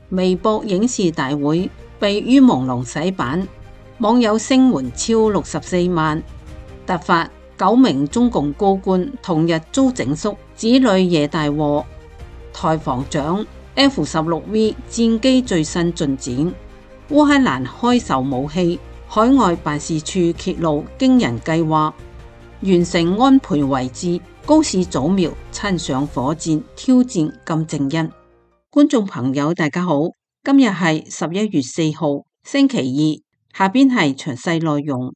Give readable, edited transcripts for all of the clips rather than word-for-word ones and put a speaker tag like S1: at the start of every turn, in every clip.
S1: 微博影視大會被于朦朧洗版，網友聲援超64萬。突發9名中共高官同日遭整肅，子女惹大禍。台防長 F-16V 戰機最新進展。烏克蘭開售武器，海外辦事處揭露驚人計劃。完成安倍遺志，高市早苗親上火箭挑戰金正恩。觀眾朋友大家好，今日係11月4號星期二，下邊係詳細內容。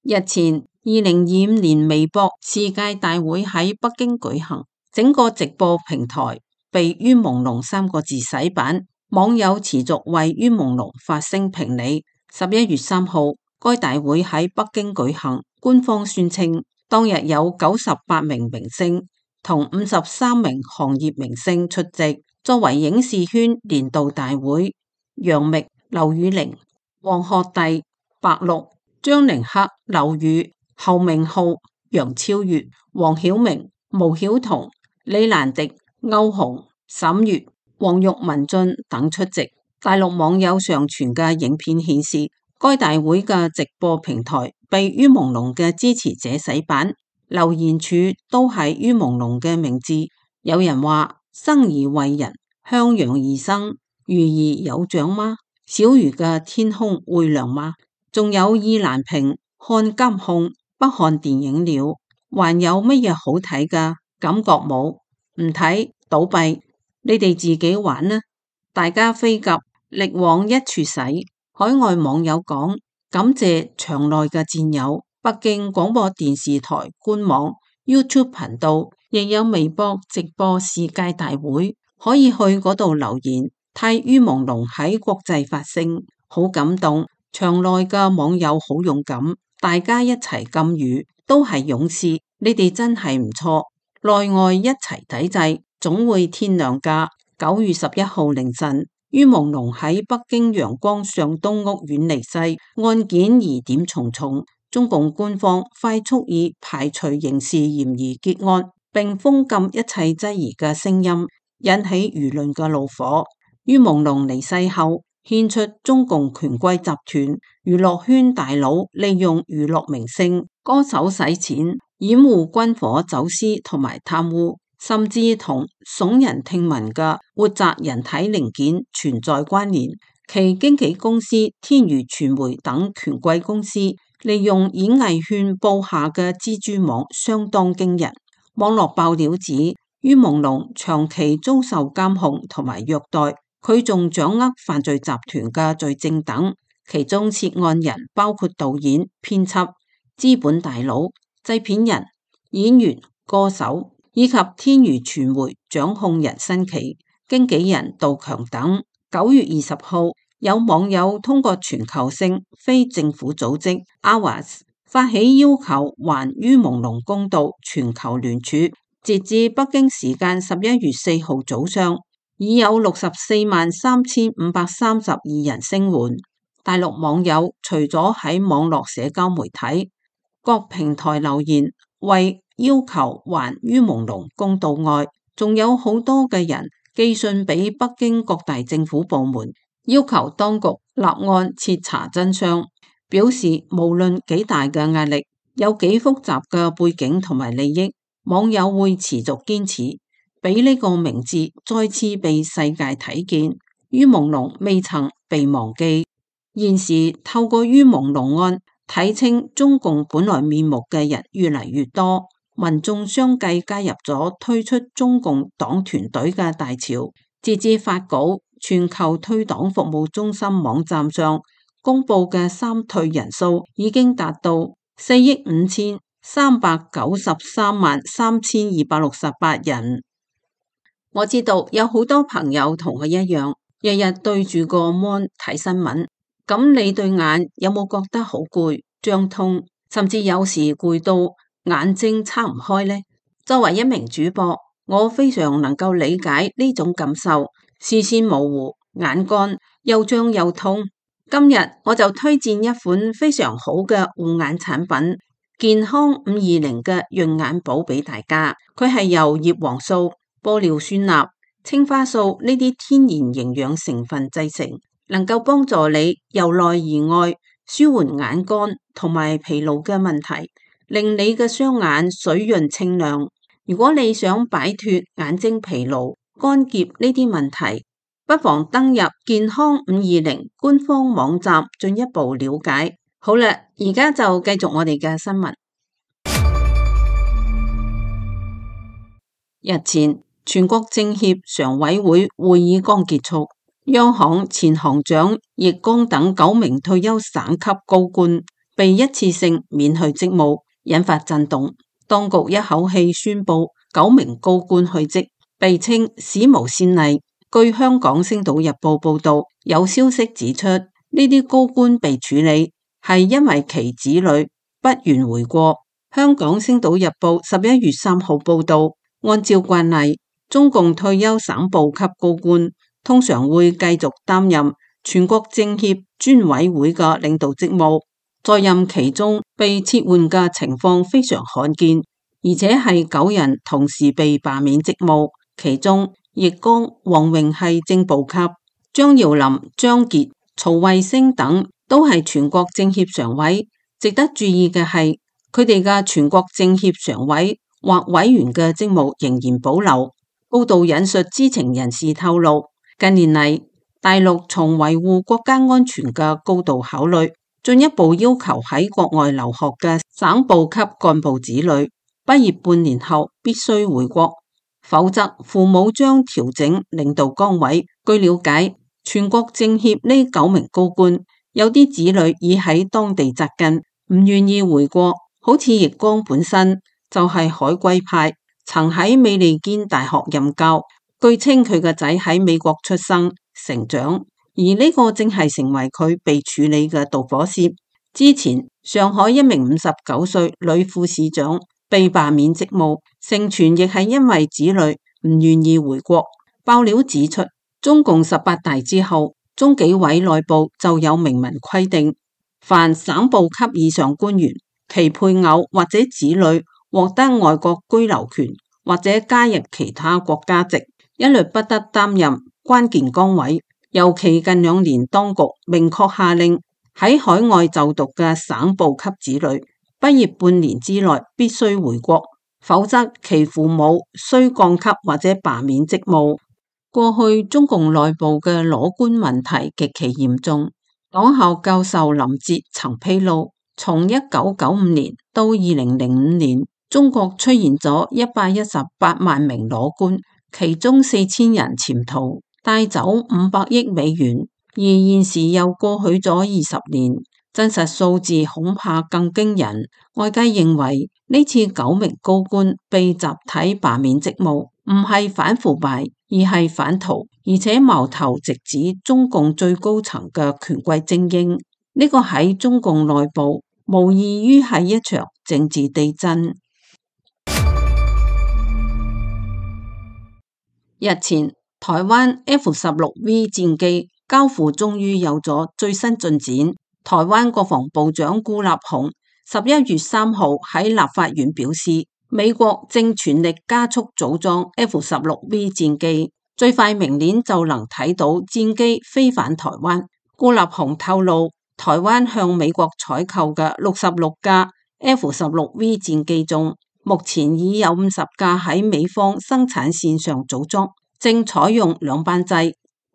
S1: 日前2025年微博世界大會喺北京舉行，整個直播平台被于朦朧3個字洗版，網友持續為于朦朧發聲評理。11月3號，該大會喺北京舉行，官方宣稱當日有98名明星同53名行業明星出席。作為影視圈年度大會，楊冪、劉宇寧、黃學埭、白鹿、張凌赫、劉宇、侯明昊、楊超越、黃曉明、毛曉彤、李蘭迪、歐紅、沈月、黃玉文俊等出席。大陸網友上傳嘅影片顯示，該大會嘅直播平台被于朦朧嘅支持者洗版，留言處都係于朦朧嘅名字。有人話：生而為人，向陽而生，魚兒有長嗎？小魚嘅天空會亮嗎？仲有意難平，看監控，不看電影了。還有乜嘢好睇㗎？感覺冇，唔睇倒閉，你哋自己玩啦。大家飛鴿力往一處使。海外網友講，感謝場內嘅戰友。北京廣播電視台官網 YouTube 頻道亦有微博直播世界大會，可以去嗰度留言，替于朦朧喺國際發聲，好感動。場內嘅網友好勇敢，大家一齊禁語，都係勇士，你哋真係唔錯，內外一齊抵制，總會天亮㗎。9月11號凌晨，于朦朧喺北京陽光上東屋苑離世，案件疑點重重。中共官方快速以排除刑事嫌疑結案，並封禁一切質疑嘅聲音，引起輿論嘅怒火。于朦朧離世後，獻出中共權貴集團、娛樂圈大佬利用娛樂明星、歌手洗錢、掩護軍火走私同埋貪污，甚至同聳人聽聞嘅活摘人體零件存在關聯。其經紀公司天娛傳媒等權貴公司利用演藝圈布下嘅蜘蛛網相當驚人。網絡爆料指，于朦朧長期遭受監控同埋虐待，佢仲掌握犯罪集團嘅罪證等，其中涉案人包括導演、編輯、資本大佬、製片人、演員、歌手以及天娛傳媒掌控人新奇、經紀人杜強等。9月20號，有網友通過全球性非政府組織 AWAS 發起要求還于朦朧公道全球聯署，截至北京時間11月4號早上，已有643532人聲援。大陸網友除咗喺網絡社交媒體各平台留言為要求還于朦朧公道外，仲有好多嘅人寄信俾北京各大政府部門，要求當局立案徹查真相，表示無論幾大嘅壓力，有幾複雜嘅背景同埋利益，網友會持續堅持，俾呢個名字再次被世界睇見。于朦朧未曾被忘記。現時透過于朦朧案睇清中共本來面目嘅人越嚟越多，民眾相繼加入咗退出中共黨團隊嘅大潮。截至發稿，全球退黨服務中心網站上公布嘅三退人數已經達到453933268人。我知道有好多朋友同佢一樣，日日對住個 mon 睇新聞，咁你對眼有冇覺得好攰、脹痛，甚至有時攰到眼睛撐唔開呢？作為一名主播，我非常能夠理解呢種感受，視線模糊、眼乾、又脹又痛。今日我就推薦一款非常好嘅護眼產品，健康520嘅潤眼寶俾大家。佢係由葉黃素、玻尿酸鈉、青花素呢啲天然營養成分製成，能夠幫助你由內而外舒緩眼乾同埋疲勞嘅問題，令你嘅雙眼水潤清亮。如果你想擺脫眼睛疲勞、乾澀呢啲問題，不妨登入健康520官方網站進一步了解。好啦，而家就繼續我哋嘅新聞。日前，全國政協常委會會議剛結束，央行前行長易綱等9名退休省級高官被一次性免去職務，引發震動。當局一口氣宣布9名高官去職，被稱史無先例。據香港星島日報報道，有消息指出，呢啲高官被處理係因為其子女不願回國。香港星島日報11月3號報道，按照慣例，中共退休省部級高官通常會繼續擔任全國政協專委會嘅領導職務，在任期中被撤換嘅情況非常罕見，而且係9人同時被罷免職務，其中易綱、王榮係正部級，張耀林、張傑、曹衛星等都係全國政協常委。值得注意嘅係，佢哋嘅全國政協常委或委員嘅職務仍然保留。報道引述知情人士透露，近年嚟大陸從維護國家安全嘅高度考慮，進一步要求喺國外留學嘅省部級幹部子女畢業半年後必須回國，否則父母將調整領導崗位。據了解，全國政協呢9名高官有啲子女已喺當地紮根，唔願意回國。好似易綱本身就係海歸派，曾喺美利堅大學任教。據稱佢個仔喺美國出生成長，而呢個正係成為佢被處理嘅導火線。之前上海一名59歲女副市長被罷免職務，盛傳亦係因為子女唔願意回國。爆料指出，中共18大之後，中紀委內部就有明文規定，凡省部級以上官員，其配偶或者子女獲得外國居留權或者加入其他國家籍，一律不得擔任關鍵崗位。尤其近2年，當局明確下令喺海外就讀嘅省部級子女畢業半年之內必須回國，否則其父母需降級或者罷免職務。過去中共內部嘅裸官問題極其嚴重。黨校教授林哲曾披露，從1995年到2005年，中國出現咗118萬名裸官，其中4000人潛逃，帶走500億美元。而現時又過去咗20年，真實數字恐怕更驚人。外界認為呢次9名高官被集體罷免職務，唔係反腐敗，而係反逃，而且矛頭直指中共最高層嘅權貴精英。呢個喺中共內部無異於係一場政治地震。日前，台灣 F-16V 戰機交付終於有咗最新進展。台灣國防部長顧立雄11月3號喺立法院表示，美國正全力加速組裝 F-16V 戰機，最快明年就能睇到戰機飛返台灣。顧立雄透露，台灣向美國採購嘅66架 F-16V 戰機中，目前已有50架喺美方生產線上組裝，正採用兩班制，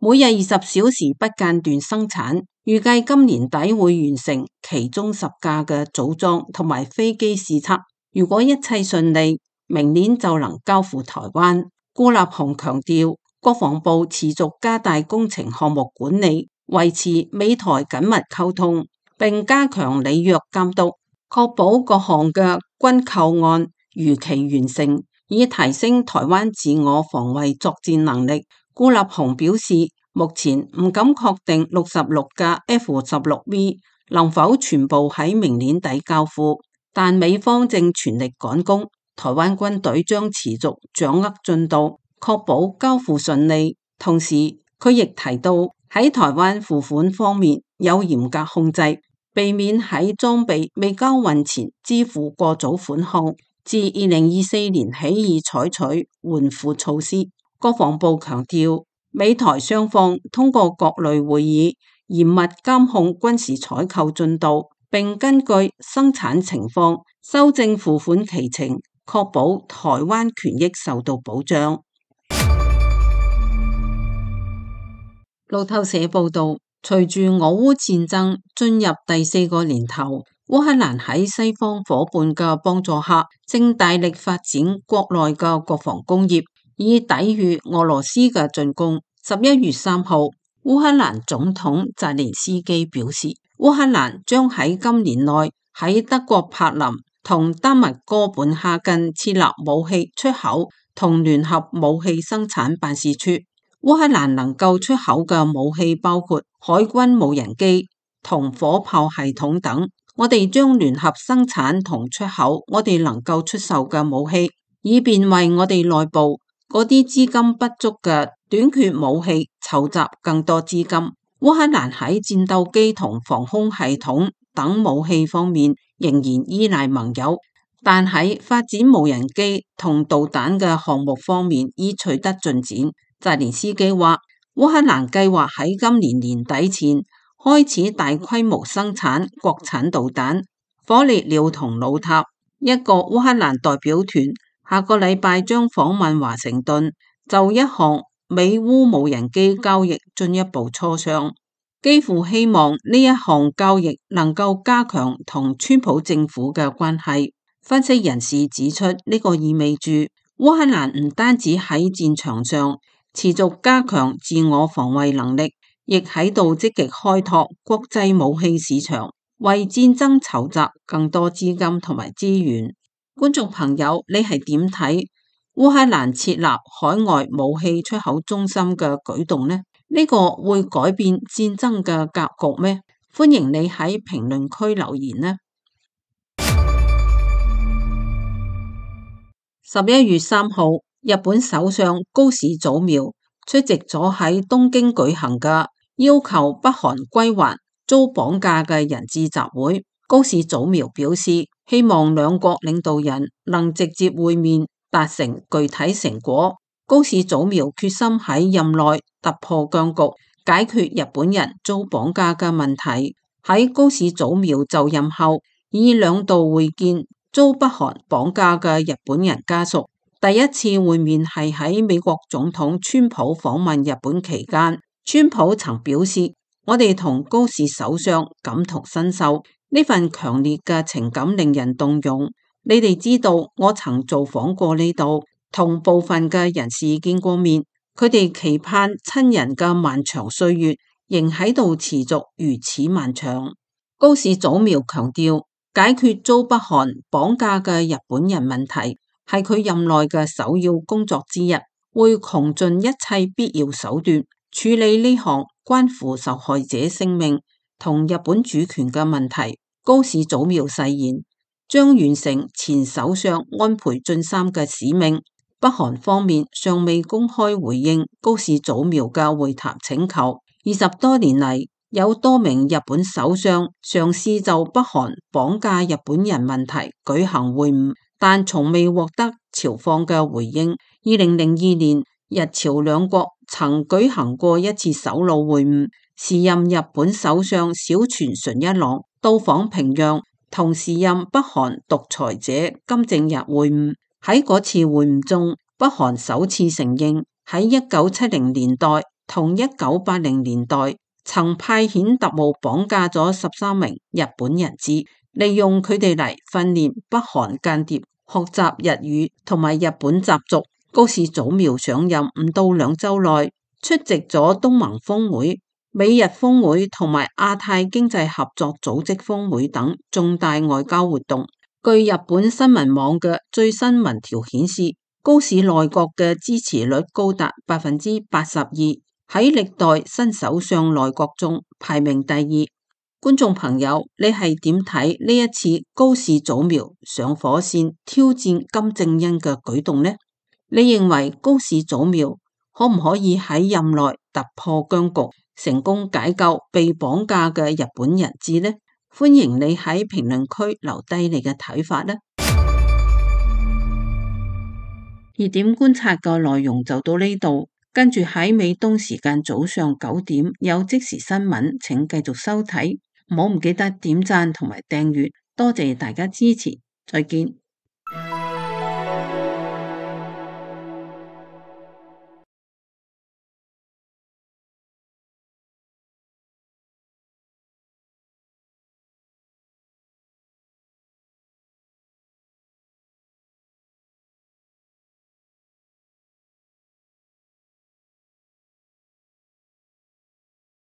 S1: 每日20小時不間斷生產，預計今年底會完成其中10架嘅組裝同埋飛機試測。如果一切順利，明年就能交付台灣。顧立雄強調，國防部持續加大工程項目管理，維持美台緊密溝通，並加強履約監督，確保各項嘅軍購案如期完成，以提升台灣自我防衛作戰能力。顧立雄表示，目前唔敢確定66架 F-16V 能否全部喺明年底交付，但美方正全力趕工，台灣軍隊將持續掌握進度，確保交付順利。同時，佢亦提到喺台灣付款方面有嚴格控制，避免喺裝備未交運前支付過早款項。自2024年起已採取緩付措施。國防部強調，美台雙方通過各類會議嚴密監控軍事採購進度，並根據生產情況修正付款期程，確保台灣權益受到保障。路透社報道，隨住俄烏戰爭進入第4個年頭，烏克蘭喺西方夥伴嘅幫助下，正大力發展國內嘅國防工業，以抵禦俄羅斯嘅進攻。11月3號，烏克蘭總統澤連斯基表示，烏克蘭將喺今年內喺德國柏林同丹麥哥本哈根設立武器出口同聯合武器生產辦事處。烏克蘭能夠出口嘅武器包括海軍無人機同火炮系統等。我哋將聯合生產同出口我哋能夠出售嘅武器，以便為我哋內部嗰啲資金不足嘅短缺武器籌集更多資金。烏克蘭喺戰鬥機同防空系統等武器方面仍然依賴盟友，但喺發展無人機同導彈嘅項目方面已取得進展。澤連斯基話，烏克蘭計劃喺今年年底前開始大規模生產國產導彈、火烈鳥同老塔。一個烏克蘭代表團下個禮拜將訪問華盛頓，就一項美烏無人機交易進一步磋商。基輔希望呢一項交易能夠加強同川普政府嘅關係。分析人士指出，呢個意味住烏克蘭唔單止喺戰場上持續加強自我防衛能力，亦喺度積極開拓國際武器市場，為戰爭籌集更多資金同埋資源。觀眾朋友，你係點睇烏克蘭設立海外武器出口中心嘅舉動呢？呢個會改變戰爭嘅格局咩？歡迎你喺評論區留言呢。11月3號，日本首相高市早苗出席咗喺東京舉行嘅要求北韓歸還遭綁架嘅人質集會。高市早苗表示，希望兩國領導人能直接會面，達成具體成果。高市早苗決心喺任內突破僵局，解決日本人遭綁架嘅問題。喺高市早苗就任後，已兩度會見遭北韓綁架嘅日本人家屬。第一次會面係喺美國總統川普訪問日本期間，川普曾表示，我哋同高市首相感同身受，呢份強烈嘅情感令人動容。你哋知道，我曾造訪過呢度，同部分嘅人士見過面，佢哋期盼親人嘅漫長歲月仍喺度持續如此漫長。高市早苗強調，解決遭北韓綁架嘅日本人問題係佢任內嘅首要工作之一，會窮盡一切必要手段處理呢項關乎受害者性命同日本主權嘅問題。高市早苗誓言將完成前首相安倍晉三嘅使命。北韓方面尚未公開回應高市早苗嘅會談請求。20多年嚟，有多名日本首相嘗試就北韓綁架日本人問題舉行會晤，但從未獲得朝方嘅回應。2002年，日朝兩國曾舉行過一次首腦會晤，時任日本首相小泉純一郎到訪平壤，同時任北韓獨裁者金正日會晤。喺嗰次會晤中，北韓首次承認喺1970年代同1980年代曾派遣特務綁架咗13名日本人質，利用佢哋嚟訓練北韓間諜學習日語同埋日本習俗。高市早苗上任唔到2週內，出席咗東盟峰會、美日峰會同埋亞太經濟合作組織峰會等重大外交活動。據日本新聞網嘅最新民調顯示，高市內閣嘅支持率高達82%，喺歷代新首相內閣中排名第2。觀眾朋友，你係點睇呢一次高市早苗上火線挑戰金正恩嘅舉動呢？你認為高市早苗可唔可以喺任內突破僵局，成功解救被綁架嘅日本人質呢？歡迎你喺評論區留低你嘅睇法啦。熱點觀察嘅內容就到呢度，跟住喺美東時間早上9點有即時新聞，請繼續收睇，唔記得點讚同埋訂閱，多謝大家支持，再見。